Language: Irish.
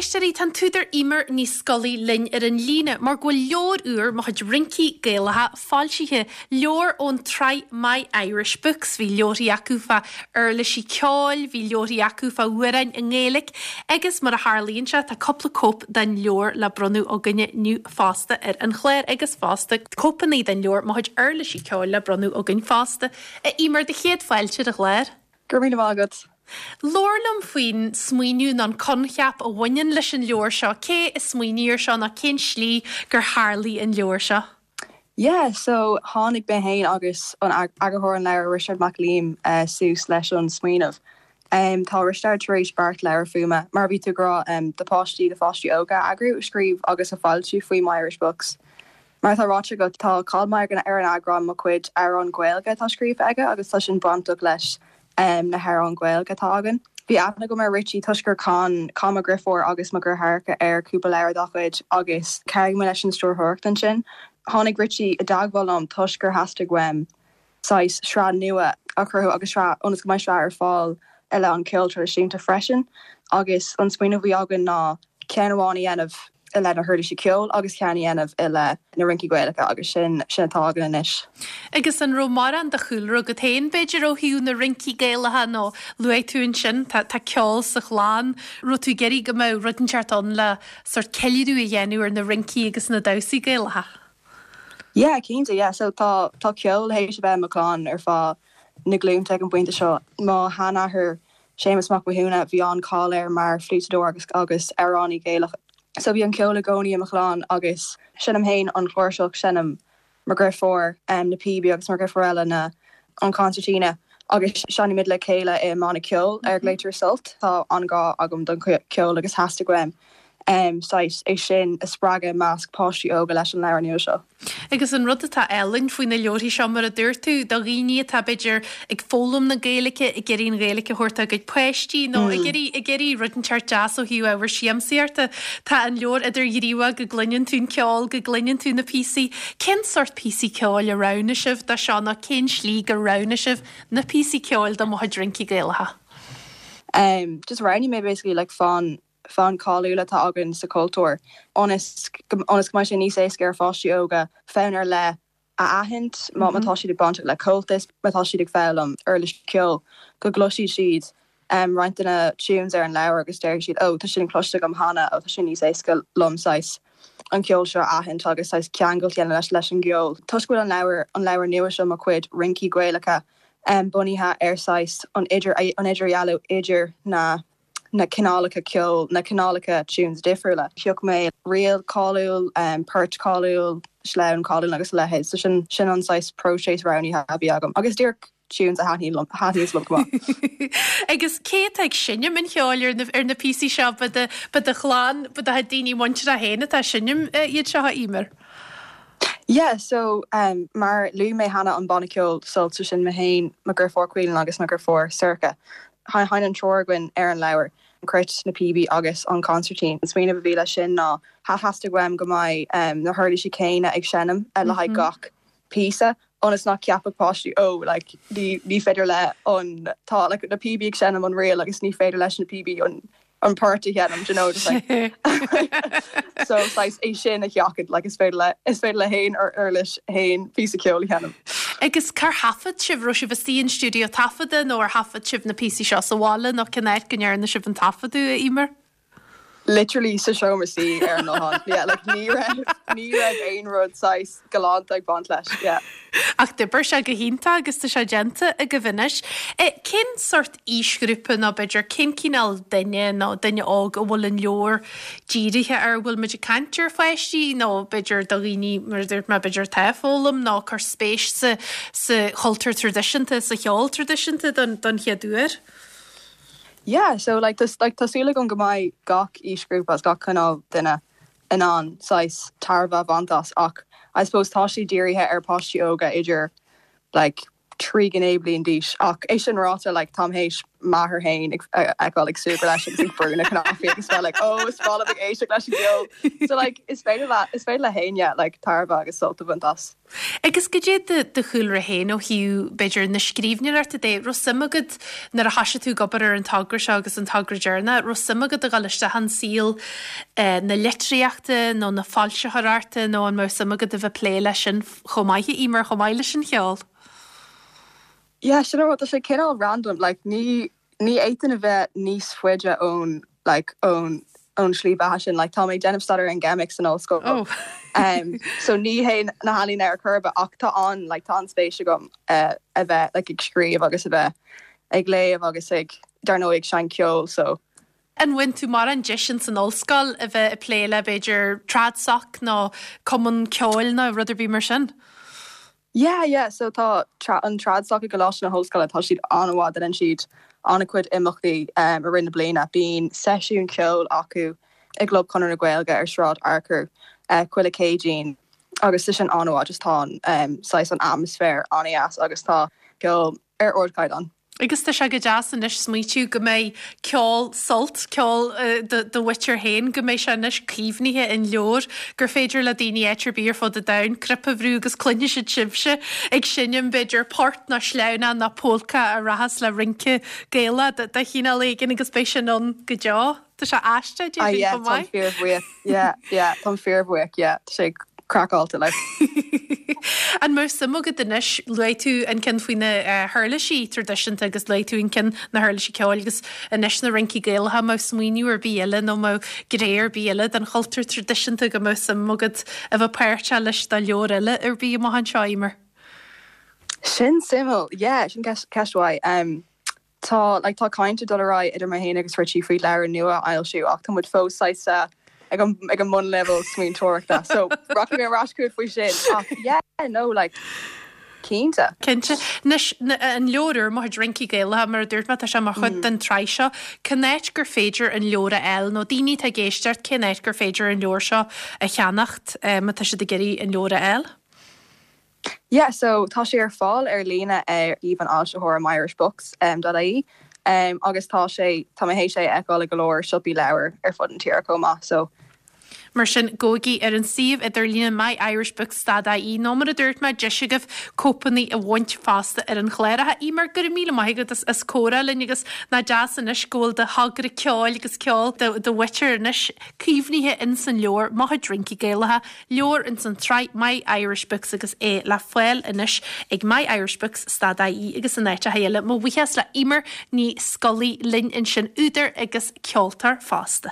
éisteoirí, tá an t-údar Eimear Ní Scolaí linn ar an líne mar go bhfuil leabhar úr, Mo Chuid Rincí Gaelacha, foilsithe, leabhar ón tsraith My Irish Books. Bhí leabharthaí acu fá uirlisí ceoil, bhí leabharthaí acu fá amhráin i nGaeilge agus mar a tharlaíonn sé, tá cúpla cóip den leabhar le bronnadh againne inniu fosta ar an chlár agus fosta cóipeanna den leabhar Mo Chuid Uirlisí Ceoil le bronnadh againn fosta. A Eimear, do chéad fáilte ar an chlár. Go raibh míle maith agat. Labhair liom faoin smaoineamh nó an coincheap a bhaineann leis an leabhar seo. Cé a smaoinigh air seo nó cén slí gur tharlaigh an leabhar seo? Yeah, so tháinig mé féin agus an eagarthóir an leabhair, Risteard Mac Liam, suas leis an smaoineamh. Tá Risteard tar éis beirt leabhar fuaime, mar a bhí tú ag rá, do pháistí, do pháistí óga a eagrú, a scríobh agus a foilsiú faoi My Irish Books. Mar atá ráite agat, tá cáil maith ar an eagrán Mo Chuid Amhrán Gaeilge atá scríofa aige agus tá sin bainteach leis na hamhráin Ghaeilge atá againn. Bhí aithne agam ar Richie toisc gur chan chan mo dheirfiúr agus mo dheartháireacha ar cúpla leabhar dá chuid agus chabhraigh mé leis an stiúrthóireacht ansin. Tháinig Richie i dteagmháil liom toisc gur theastaigh uaim saghas sraith nua a chruthú agus sraith ionas go mbeidh sraith ar fáil i leith an ceol traidisiúnta freisin agus an smaoineamh a bhí againn ná ceann amháin a dhéanamh i leith na huirlisí ceoil agus ceann a dhéanamh i leith na rincí Gaelacha agus sin sin atá againn anois. Agus an raibh mórán de chúlra agat féin b'fhéidir ó thaobh na rincí Gaelacha nó luaigh tú ansin tá tá ceol sa chlann, raibh tú ag iarraidh go mbeadh rud inteacht ann le sórt ceiliúradh a dhéanamh ar na rincí agus na damhsaí Gaelacha? Yeah, cinnte, yeah. So tá tá ceol théis a bheith i mo chlann ar feadh na glúnta ag an bpointe seo. Mo sheanathair Séamus Mac Mathúna, bhí an-cáil air mar fliúiteadóir agus agus amhránaí Gaelach. So bhí an ceol i gcónaí i mo chlann agus seinnim féin an chláirseach, seinneann mo dheirfiúr na píobaí agus mo dheirfiúr eile na an concertina agus seinnimid le chéile i mbanna ceoil ar a nglaoitear Sult. Tá an-ghrá agam don cheol agus theastaigh uaim saghas é sin a spreagadh i measc páistí óga leis an leabhar nua seo. Agus an rud atá álainn faoi na leabharthaí seo, mar a dúirt tú, do dhaoine atá, b'fhéidir, ag foghlaim na Gaeilge, ag iarraidh an Ghaeilge a thabhairt dá gcuid páistí nó ag iarraidh, ag iarraidh rud inteacht deas ó thaobh ábhar siamsaíochta, tá an leabhar idirghníomhach go gcluineann tú an ceol, go gcluineann tú na píosaí. Cén sórt píosaí ceoil a roghnaigh sibh do seo nó cén slí gur roghnaigh sibh na píosaí ceoil do Mo Chuid Rincí Gaelacha? Just roghnaigh mé basically like fonn fonn cáiliúil atá againn sa chultúr ionas go ionas go mbeidh sé níos éasca ar pháistí óga fonn ar leith a aithint má má tá siad ag bainteach le Comhaltas, má tá siad ag foghlaim uirlis ceoil, go gcloisfidh siad roinnt de na tunes ar an leabhar agus déarfaidh siad 'oh tá sin cloiste agam cheana' oh tá sin níos éasca liom saghas an ceol seo a aithint agus saghas ceangal a dhéanamh leis leis an gceol. Toisc go bhfuil an leabhar an leabhar nua seo Mo Chuid Rincí Gaelacha bunaithe ar saghas an idir an idirdhealú idir na na cineálacha ceoil, na cineálacha tunes difriúla. Phioc mé ríl cáiliúil, port cáiliúil, sleamhain cáiliúil agus a leithéid. So sin, sin an saghas próiseas roghnaithe a bhí agam. Agus díreach tunes a thaitníonn liom, a thaitníonns liom go maith. Agus cé atá ag seinm an cheoil ar na, ar na píosaí seo? Ba do, ba do chlann, ba do chuid daoine muinteartha féin atá ag seinm iad seo, a Eimear? Yeah, so mar luaigh mé cheana an banna ceoil Sult, so sin mé féin, mo dheirfiúr Caoilinn agus mo dheirfiúr Sorcha. Sheinn an triúr againn ar an leabhar, an cruit, na píobaí agus an consairtín. An smaoineamh a bhí leis sin ná theastaigh uaim go mbeidh na huirlisí céanna ag seinm le haghaidh gach píosa ionas nach gceapfadh páistí oh like ní ní féidir le an tá like na píobaí ag seinm an ríl agus ní féidir leis na píobaí an an port a sheinm, do you know, just like so saghas é sin a sheachaint, like is féidir le is féidir le haon uirlis haon píosa ceoil a sheinm. Agus cár thaifead sibh? Raibh sibh istigh in stiúideo taifeadta nó ar thaifead sibh na píosaí seo sa bhaile nó cén áit go ndearna sibh an taifeadadh, a Eimear? Literally sa seomra suí ar an nguthán, yeah, like ní raibh ní raibh aon rud saghas galánta ag baint leis, yeah. Ach d'oibir sé go hiontach agus tá sé déanta agaibh anois. Cén sórt aoisghrúpa nó b'fhéidir cén cineál duine nó duine óg a bhfuil an leabhar dírithe air? Bhfuil muid ag caint ar pháistí nó b'fhéidir do dhaoine, mar a dúirt mé, b'fhéidir atá ag foghlaim nó ag cur spéis sa sa chultúr traidisiúnta, sa cheol traidisiúnta don don chéad uair? Yeah, so like like tá súil agam go mbeidh gach aoisghrúpa agus gach cineál duine in ann saghas tairbhe a bhaint as ach I suppose tá sé dírithe ar páistí óga idir like. 39 bliain d'aois ach é sin ráite like táim théis m'athair féin a fheiceáil ag súgradh leis agus ag brú na cnaipí agus bheith like oh is breá liom ag éisteacht leis an gceol so like is féidir le is féidir le héinne like tairbhe agus sult a bhaint as. Agus goidé do do chúlra féin ó thaobh b'fhéidir na scríbhneoireachta de, raibh suim agat nuair a thoisigh tú ag obair ar an togra seo agus an togra deireanach, raibh suim agat a dhul isteach in saol na litríochta nó na foilsitheoireachta nó an mbeadh suim agat a bheith ag plé leis sin chomh maith, a Emer, chomh maith leis an cheol? Yeah, sin an rud, tá sé cineál random, like ní, ní fhéadfainn a bheith níos faide ón, like, ón, ón slí bheatha sin, like tá mé ag déanamh staidéar ar an gceimic san ollscoil, oh. um, so ní hé na healaíona ar chor ar bith ach tá an, like tá an-spéis agam uh, a bheith like ag scríobh agus a bheith ag léamh agus ag, dar ndóigh ag seinnt ceoil, so. An bhfaigheann tú mórán deis ins an ollscoil a bheith ag plé le b'fhéidir Tradsoc nó cumann ceoil nó rud ar bith mar sin? Yeah, yeah, so tá an Tradsoc i gColáiste na hOllscoile, tá siad an-mhaith, déanann siad an-chuid imeachtaí i rith na bliana. Bíonn seisiún ceoil acu i gClub Chonradh na Gaeilge ar Sráid Fhearchair chuile Chéadaoin agus tá sin an-mhaith, just tá an saghas an atmaisféar an-dheas agus tá ceol ar ardchaighdeán. Agus tá sé go deas anois smaoitiú go mbeidh ceol Sult, ceol do mhuintir féin, go mbeidh sé anois caomhnaithe in leabhar, gur féidir le daoine áit ar bith ar fud an domhain cnaipe a bhrú agus cluinfidh siad sibhse ag seinm b'fhéidir port nó sleamhnán nó pólca a rachas le rince Gaelach de chineál éigin agus beidh sin ann go deo. Tá sé aisteach, Ah déarfainn, yeah, chomh táim maith. fíorbhuíoch. Yeah, yeah, táim fíorbhuíoch, yeah. Tá sé craiceáilte, like. An mbeadh suim agat anois, luaigh tú an ceann faoi na huirlisí traidisiúnta agus luaigh tú an ceann na huirlisí ceoil agus anois na rincí Gaelacha, an mbeadh smaoineamh ar bith eile nó an mbeadh gné ar bith eile den chultúr traidisiúnta go mbeadh suim agat a bheith páirteach leis do leabhar eile ar bith amach anseo, Emer? Sin suimiúil, yeah, sin ceist mhaith. Um, Tá, like, tá caint ag dul ar aghaidh idir mé féin agus Richie faoi leabhar nua a fhoilsiú ach tá muid fós saghas ag an, ag an mbunleibhéal smaointeoireachta so rachaidh mé ar ais chugat faoi sin ach yeah, no, like, cinnte. Cinnte. Anois, an leabhar úr, Mo Chuid Rincí Gaelacha, mar a dúirt mé, tá sé mar chuid den tsraith seo. Cén áit gur féidir an leabhar a fháil nó daoine atá ag éisteacht, cén áit gur féidir an leabhar seo a cheannacht má tá siad ag iarraidh an leabhar a fháil? Yeah, so tá sé ar fáil ar líne ar shuíomh an fhoilsitheora myirishbooks dot ie agus tá sé, tá mé théis é a fheiceáil i go leor siopaí leabhar ar fud an tíre chomh maith, so. Mar sin, gabhaigí ar an suíomh idirlíne myirishbooks dot ie nó mar a dúirt mé, deis agaibh cóipeanna a bhaint fosta ar an chlár. A Emer, go raibh míle maith agat as comhrá linn agus nach deas anois go bhfuil do thogra ceoil agus ceol do mhuintir anois caomhnaithe ins an leabhar Mo Chuid Rincí Gaelacha. Leabhar ins an tsraith My Irish Books agus é le fáil anois ag myirishbooks stad ie agus in áiteacha eile. Mo bhuíochas le Emer Ní Scolaí linn ansin, údar agus ceoltóir fosta.